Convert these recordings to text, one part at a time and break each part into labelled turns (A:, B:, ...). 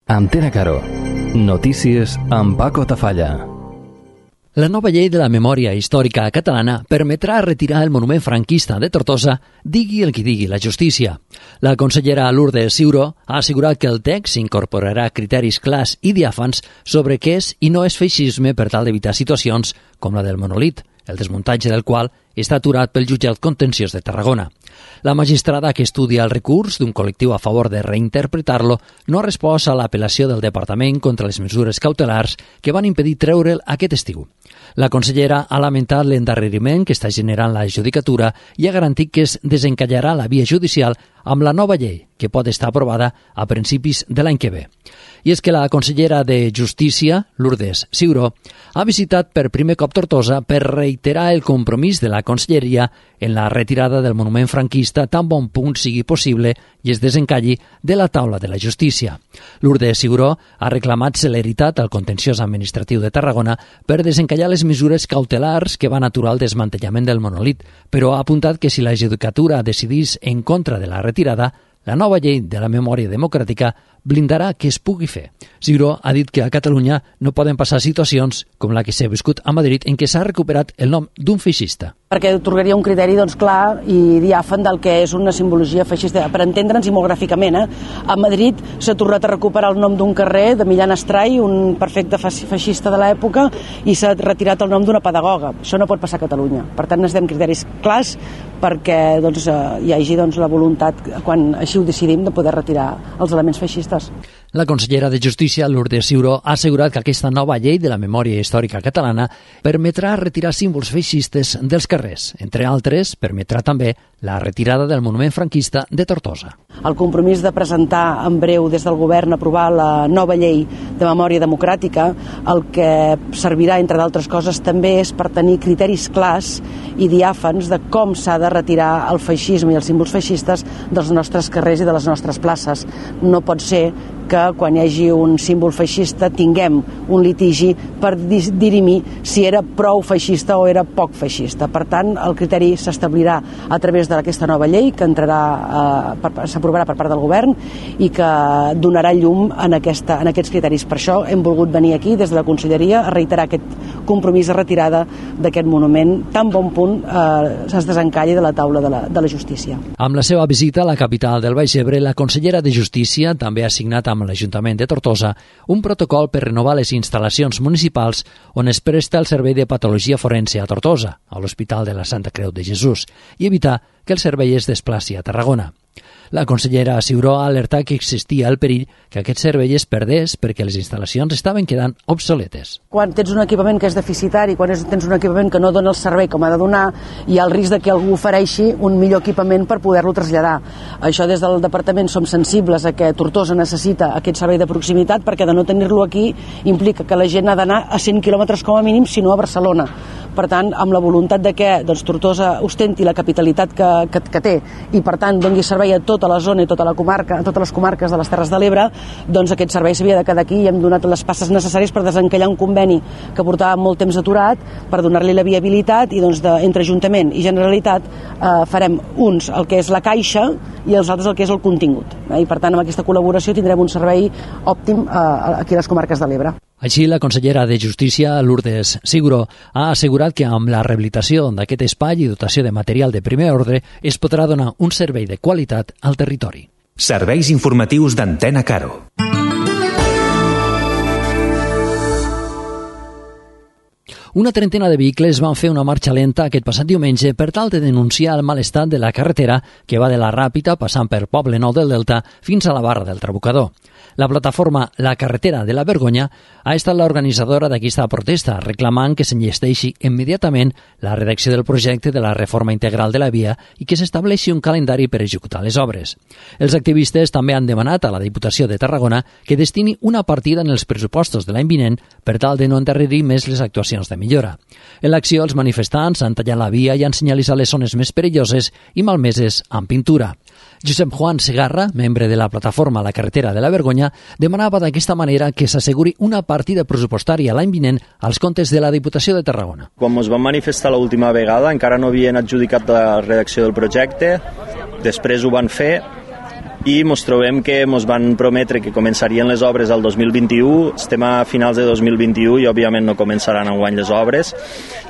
A: Antena Caro. Notícies amb Paco Tafalla.
B: La nova llei de la memòria històrica catalana permetrà retirar el monument franquista de Tortosa, digui el que digui la justícia. La consellera Lourdes Ciuró ha assegurat que el text incorporarà criteris clars i diàfans sobre què és i no és feixisme per tal d'evitar situacions com la del monolit, el desmuntatge del qual està aturat pel jutjat contenciós de Tarragona. La magistrada que estudia el recurs d'un col·lectiu a favor de reinterpretar-lo no ha respost a l'apel·lació del Departament contra les mesures cautelars que van impedir treure'l aquest estiu. La consellera ha lamentat l'endarreriment que està generant la judicatura i ha garantit que es desencallarà la via judicial amb la nova llei, que pot estar aprovada a principis de l'any que ve. I és que la consellera de Justícia, Lourdes Ciuró, ha visitat per primer cop Tortosa per reiterar el compromís de la conselleria en la retirada del monument franquista tan bon punt sigui possible i es desencalli de la taula de la justícia. Lourdes Ciuró ha reclamat celeritat al contenciós administratiu de Tarragona per desencallar les mesures cautelars que van aturar el desmantellament del monolit, però ha apuntat que si la judicatura decidís en contra de la retirada, la nova llei de la memòria democràtica blindarà que es pugui fer. Ciuró ha dit que a Catalunya no poden passar situacions com la que s'ha viscut a Madrid en què s'ha recuperat el nom d'un feixista.
C: Perquè atorgaria un criteri clar i diàfan del que és una simbologia feixista, per entendre'ns i molt gràficament. A Madrid s'ha tornat a recuperar el nom d'un carrer de Millán Astray, un perfecte feixista de l'època, i s'ha retirat el nom d'una pedagoga. Això no pot passar a Catalunya. Per tant, necessitem criteris clars perquè hi hagi la voluntat, quan així ho decidim, de poder retirar els elements feixistes.
B: La consellera de Justícia, Lourdes Ciuró, ha assegurat que aquesta nova llei de la memòria històrica catalana permetrà retirar símbols feixistes dels carrers. Entre altres, permetrà també la retirada del monument franquista de Tortosa.
C: El compromís de presentar en breu des del govern aprovar la nova llei de memòria democràtica, el que servirà, entre d'altres coses, també és per tenir criteris clars i diàfans de com s'ha de retirar el feixisme i els símbols feixistes dels nostres carrers i de les nostres places. No pot ser que quan hi hagi un símbol feixista tinguem un litigi per dirimir si era prou feixista o era poc feixista. Per tant, el criteri s'establirà a través d'aquesta nova llei que s'aprovarà per part del govern i que donarà llum en aquests criteris. Per això hem volgut venir aquí des de la Conselleria a reiterar aquest compromís de retirada d'aquest monument tan bon punt es desencalli de la taula de la justícia.
B: Amb la seva visita a la capital del Baix Ebre, la consellera de Justícia també ha signat amb l'Ajuntament de Tortosa un protocol per renovar les instal·lacions municipals on es presta el servei de patologia forense a Tortosa, a l'Hospital de la Santa Creu de Jesús, i evitar que el servei es desplaci a Tarragona. La consellera Ciuró ha alertat que existia el perill que aquest servei es perdés perquè les instal·lacions estaven quedant obsoletes.
C: Quan tens un equipament que és deficitari, quan tens un equipament que no dona el servei com ha de donar, hi ha el risc de que algú ofereixi un millor equipament per poder-lo traslladar. Això des del departament som sensibles a que Tortosa necessita aquest servei de proximitat perquè de no tenir-lo aquí implica que la gent ha d'anar a 100 quilòmetres com a mínim, si no a Barcelona. Per tant, amb la voluntat de que Tortosa ostenti la capitalitat que té i per tant doni servei a tota la zona i tota la comarca, a totes les comarques de les Terres de l'Ebre, doncs aquest servei s'havia de quedar aquí i hem donat les passes necessàries per desencallar un conveni que portava molt temps aturat, per donar-li la viabilitat i entre Ajuntament i Generalitat farem uns el que és la caixa i els altres el que és el contingut. I per tant, amb aquesta col·laboració tindrem un servei òptim aquí a les comarques de l'Ebre.
B: Així, la consellera de Justícia, Lourdes Ciuró, ha assegurat que amb la rehabilitació d'aquest espai i dotació de material de primer ordre es podrà donar un servei de qualitat al territori.
D: Serveis informatius d'Antena Caro.
B: Una trentena de vehicles van fer una marxa lenta aquest passat diumenge per tal de denunciar el mal estat de la carretera que va de la Ràpita passant per Poblenou del Delta fins a la Barra del Trabucador. La plataforma La Carretera de la Vergonya ha estat l'organitzadora d'aquesta protesta, reclamant que s'enllesteixi immediatament la redacció del projecte de la reforma integral de la via i que s'estableixi un calendari per executar les obres. Els activistes també han demanat a la Diputació de Tarragona que destini una partida en els pressupostos de l'any vinent per tal de no endarrerir més les actuacions de millora. En l'acció, els manifestants han tallat la via i han senyalitzat les zones més perilloses i malmeses amb pintura. Josep Juan Segarra, membre de la plataforma La Carretera de la Vergonya, demanava d'aquesta manera que s'asseguri una partida pressupostària l'any vinent als comptes de la Diputació de Tarragona.
E: Quan ens vam manifestar l'última vegada encara no havien adjudicat la redacció del projecte, després ho van fer, i ens trobem que ens van prometre que començarien les obres al 2021, estem a finals de 2021 i òbviament no començaran enguany les obres.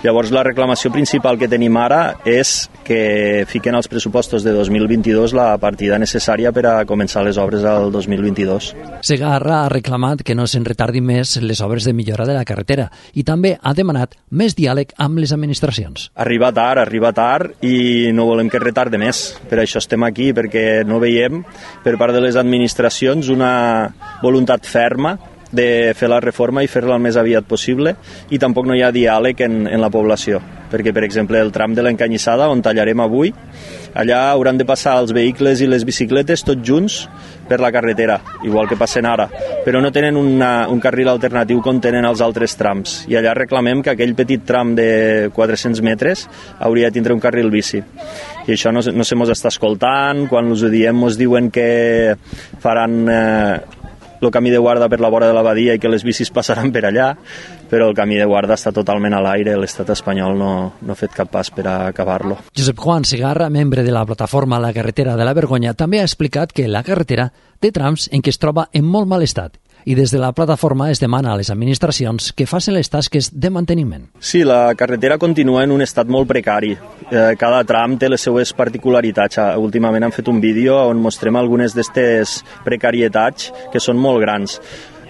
E: Llavors la reclamació principal que tenim ara és que fiquen als pressupostos de 2022 la partida necessària per a començar les obres al 2022.
B: Segarra ha reclamat que no se'n retardin més les obres de millora de la carretera i també ha demanat més diàleg amb les administracions.
E: Arriba tard i no volem que es retardi més. Per això estem aquí, perquè no veiem per part de les administracions una voluntat ferma de fer la reforma i fer-la el més aviat possible, i tampoc no hi ha diàleg en la població, perquè per exemple el tram de l'Encanyissada, on tallarem avui, allà hauran de passar els vehicles i les bicicletes tots junts per la carretera, igual que passen ara, però no tenen un carril alternatiu com tenen els altres trams, i allà reclamem que aquell petit tram de 400 metres hauria de tindre un carril bici. I això no se mos està escoltant, quan us ho diem mos diuen que faran el camí de guarda per la vora de la badia i que les bicis passaran per allà, però el camí de guarda està totalment a l'aire, l'estat espanyol no ha fet cap pas per a acabar-lo.
B: Josep Juan Segarra, membre de la plataforma La Carretera de la Vergonya, també ha explicat que la carretera té trams en què es troba en molt mal estat i des de la plataforma es demana a les administracions que facin les tasques de manteniment.
E: Sí, la carretera continua en un estat molt precari. Cada tram té les seues particularitats. Últimament hem fet un vídeo on mostrem algunes d'aquestes precarietats que són molt grans.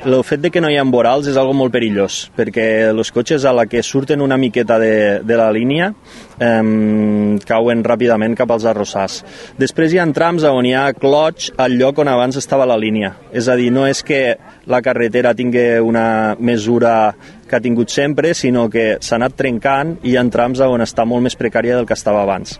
E: El fet de que no hi ha vorals és algo molt perillós, perquè els cotxes a la que surten una miqueta de la línia cauen ràpidament cap als arrossars. Després hi ha trams on hi ha clots al lloc on abans estava la línia. És a dir, no és que la carretera tingui una mesura que ha tingut sempre, sinó que s'ha anat trencant i hi ha trams on està molt més precària del que estava abans.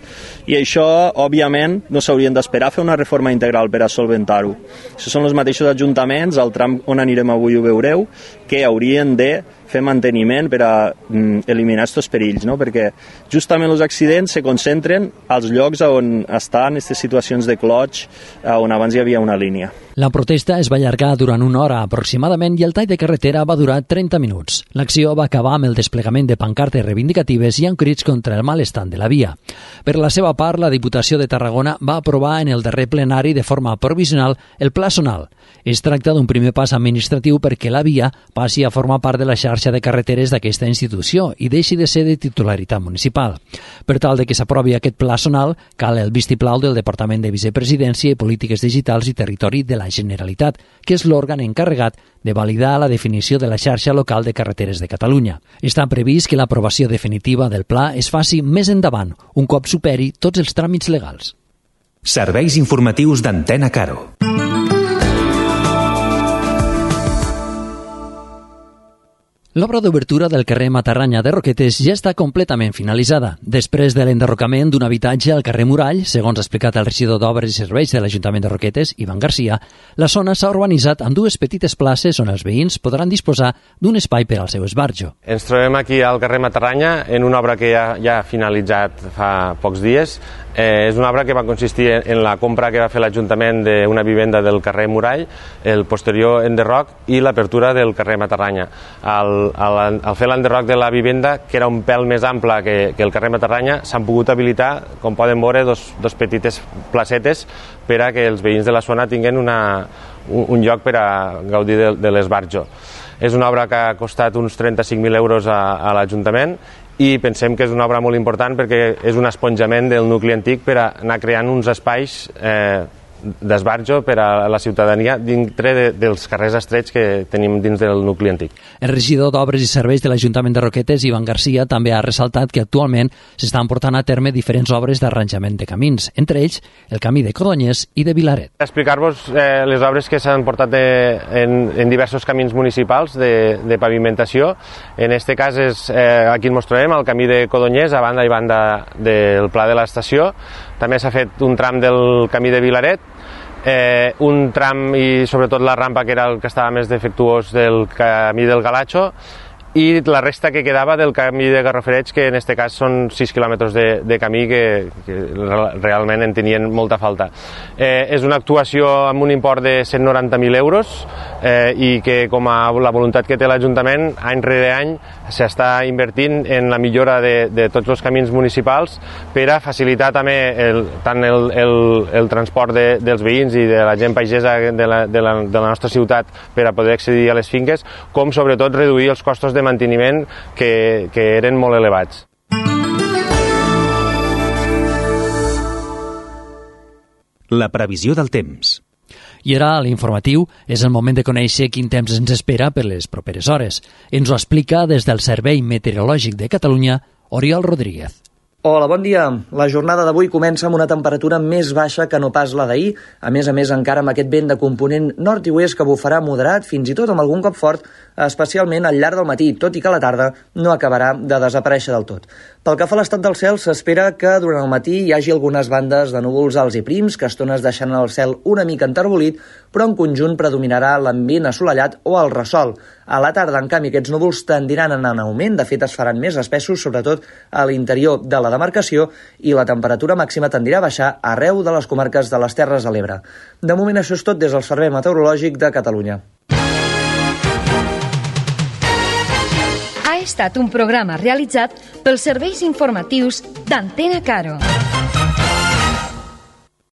E: I això, òbviament, no s'haurien d'esperar a fer una reforma integral per a solventar-ho. Això són els mateixos ajuntaments, al tram on anirem avui ho veureu, que haurien de fer manteniment per a eliminar aquests perills, no? Perquè justament els accidents se concentren als llocs on estan aquestes situacions de clots on abans hi havia una línia.
B: La protesta es va allargar durant una hora aproximadament i el tall de carretera va durar 30 minuts. L'acció va acabar amb el desplegament de pancartes reivindicatives i amb crits contra el mal estat de la via. Per la seva part, la Diputació de Tarragona va aprovar en el darrer plenari de forma provisional el Pla Zonal. Es tracta d'un primer pas administratiu perquè la via passi a formar part de la xarxa de carreteres d'aquesta institució i deixi de ser de titularitat municipal. Per tal de que s'aprovi aquest Pla Zonal, cal el vistiplau del Departament de Vicepresidència i Polítiques Digitals i Territori de la Generalitat, que és l'òrgan encarregat de validar la definició de la xarxa local de carreteres de Catalunya. Està previst que l'aprovació definitiva del pla es faci més endavant, un cop superi tots els tràmits legals.
D: Serveis informatius d'Antena Caro.
B: L'obra d'obertura del carrer Matarranya de Roquetes ja està completament finalitzada. Després de l'enderrocament d'un habitatge al carrer Murall, segons ha explicat el regidor d'Obres i Serveis de l'Ajuntament de Roquetes, Ivan Garcia, la zona s'ha urbanitzat amb dues petites places on els veïns podran disposar d'un espai per al seu esbarjo.
F: Ens trobem aquí al carrer Matarranya en una obra que ja ha finalitzat fa pocs dies. És una obra que va consistir en la compra que va fer l'Ajuntament d'una vivenda del carrer Murall, el posterior enderroc i l'apertura del carrer Matarranya. Al fer l'enderroc de la vivenda, que era un pèl més ample que el carrer Matarranya, s'han pogut habilitar, com poden veure, dos petites placetes per a que els veïns de la zona tinguin un lloc per a gaudir de l'esbarjo. És una obra que ha costat uns 35.000 euros a l'Ajuntament i pensem que és una obra molt important perquè és un esponjament del nucli antic per a anar creant uns espais d'esbarjo per a la ciutadania dintre dels carrers estrets que tenim dins del nucli antic.
B: El regidor d'Obres i Serveis de l'Ajuntament de Roquetes, Ivan Garcia, també ha ressaltat que actualment s'estan portant a terme diferents obres d'arranjament de camins, entre ells el camí de Codonyes i de Vilaret.
F: Explicar-vos les obres que s'han portat en diversos camins municipals de pavimentació. En aquest cas, aquí ens mostrarem el camí de Codonyes, a banda i banda del Pla de l'Estació. També s'ha fet un tram del camí de Vilaret, un tram i sobretot la rampa que era el que estava més defectuós del camí del Galatxo, i la resta que quedava del camí de Garrofereig, que en aquest cas són 6 quilòmetres de camí que realment en tenien molta falta. És una actuació amb un import de 190.000 euros i que, com a la voluntat que té l'Ajuntament, any rere any s'està invertint en la millora de tots els camins municipals per a facilitar també tant el transport dels veïns i de la gent pagesa de la nostra ciutat per a poder accedir a les finques, com sobretot reduir els costos de manteniment que eren molt elevats.
D: La previsió del temps.
B: I ara, a l'informatiu, és el moment de conèixer quin temps ens espera per les properes hores. Ens ho explica des del Servei Meteorològic de Catalunya, Oriol Rodríguez.
G: Hola, bon dia. La jornada d'avui comença amb una temperatura més baixa que no pas la d'ahir. A més, encara amb aquest vent de component nord i oest que bufarà moderat, fins i tot amb algun cop fort, especialment al llarg del matí, tot i que a la tarda no acabarà de desaparèixer del tot. Pel que fa a l'estat del cel, s'espera que durant el matí hi hagi algunes bandes de núvols alts i prims, que a estones deixant el cel una mica enterbolit, però en conjunt predominarà l'ambient assolellat o el ressol. A la tarda, en canvi, aquests núvols tendiran a anar en augment, de fet es faran més espessos, sobretot a l'interior de la demarcació, i la temperatura màxima tendirà a baixar arreu de les comarques de les Terres de l'Ebre. De moment això és tot des del Servei Meteorològic de Catalunya.
H: Ha estat un programa realitzat pels serveis informatius d'Antena Caro.